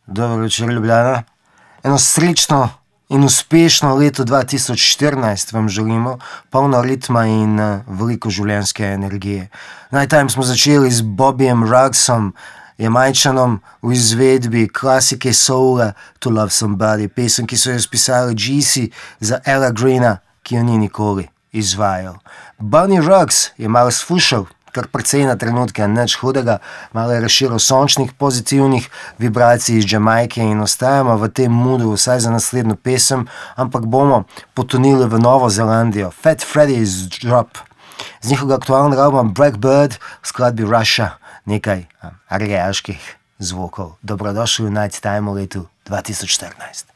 Dobro večer, Ljubljana. Eno srečno in uspešno leto 2014 vam želimo, polno ritma in veliko življenjske energije. Najtajem smo začeli z Bobbyjem Ruggsom, Jamajčanom v izvedbi klasike soula To Love Somebody, pesem, ki so jo spisali G.C. za Ella Greena, ki jo ni nikoli izvajal. Bunny Ruggs je malo sfušal, kar precej na trenutke, nič hudega, malo je razširil sončnih pozitivnih vibracij iz Jamajke in ostajamo v tem moodu vsaj za naslednjo pesem, ampak bomo potonili v Novo Zelandijo. Fat Freddy's Drop. Z njihovega aktualnega albuma Blackbird v skladbi Russia nekaj argeaških zvokov. Dobrodošli v Night Time v letu 2014.